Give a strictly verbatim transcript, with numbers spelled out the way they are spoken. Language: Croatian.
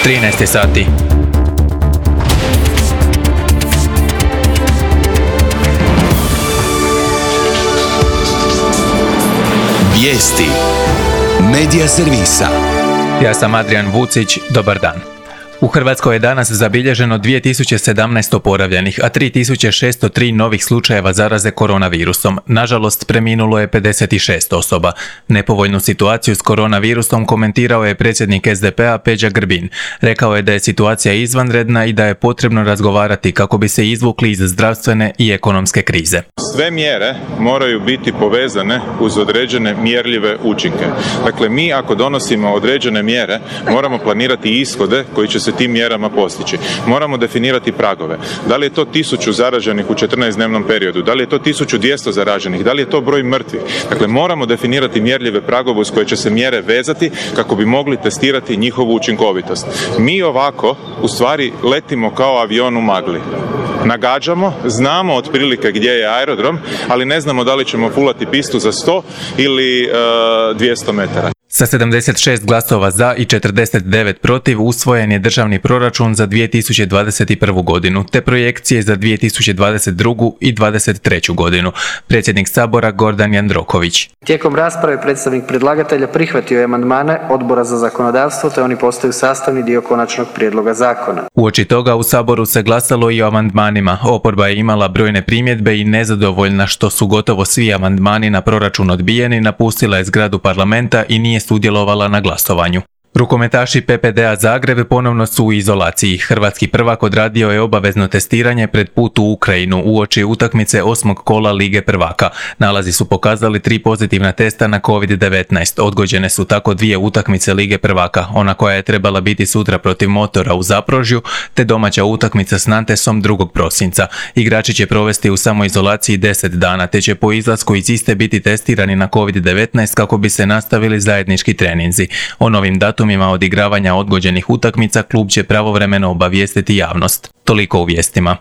trinaest sati. Vijesti Medija servisa. Ja sam Adrian Vucić, dobar dan. U Hrvatskoj je danas zabilježeno dvije tisuće sedamnaest oporavljenih, a tri tisuće šesto tri novih slučajeva zaraze koronavirusom. Nažalost, preminulo je pedeset šest osoba. Nepovoljnu situaciju s koronavirusom komentirao je predsjednik S D P-a Peđa Grbin. Rekao je da je situacija izvanredna i da je potrebno razgovarati kako bi se izvukli iz zdravstvene i ekonomske krize. Sve mjere moraju biti povezane uz određene mjerljive učinke. Dakle, mi ako donosimo određene mjere, moramo planirati ishode koji će se tim mjerama postići. Moramo definirati pragove. Da li je to tisuću zaraženih u četrnaestdnevnom periodu, da li je to tisuću dvjesto zaraženih, da li je to broj mrtvih. Dakle, moramo definirati mjerljive pragove uz koje će se mjere vezati kako bi mogli testirati njihovu učinkovitost. Mi ovako, u stvari, letimo kao avion u magli. Nagađamo, znamo otprilike gdje je aerodrom, ali ne znamo da li ćemo fulati pistu za sto ili uh, dvjesto metara. Sa sedamdeset šest glasova za i četrdeset devet protiv usvojen je državni proračun za dvije tisuće dvadeset prvu godinu, te projekcije za dvije tisuće dvadeset drugu i dvadeset treću godinu. Predsjednik Sabora Gordan Jandroković. Tijekom rasprave predstavnik predlagatelja prihvatio je amandmane Odbora za zakonodavstvo, te oni postaju sastavni dio konačnog prijedloga zakona. Uoči toga u Saboru se glasalo i o amandmanima. Oporba je imala brojne primjedbe i nezadovoljna što su gotovo svi amandmani na proračun odbijeni, napustila je zgradu parlamenta i nije sudjelovala na glasovanju. Rukometaši P P D-a Zagreb ponovno su u izolaciji. Hrvatski prvak odradio je obavezno testiranje pred put u Ukrajinu uoči utakmice osmog kola Lige prvaka. Nalazi su pokazali tri pozitivna testa na kovid devetnaest. Odgođene su tako dvije utakmice Lige prvaka, ona koja je trebala biti sutra protiv Motora u Zaprožju, te domaća utakmica s Nantesom drugog prosinca. Igrači će provesti u samoizolaciji deset dana, te će po izlasku iz iste biti testirani na kovid devetnaest kako bi se nastavili zajednički treninzi. O novim datumima odigravanja odgođenih utakmica klub će pravovremeno obavijestiti javnost. Toliko u vijestima.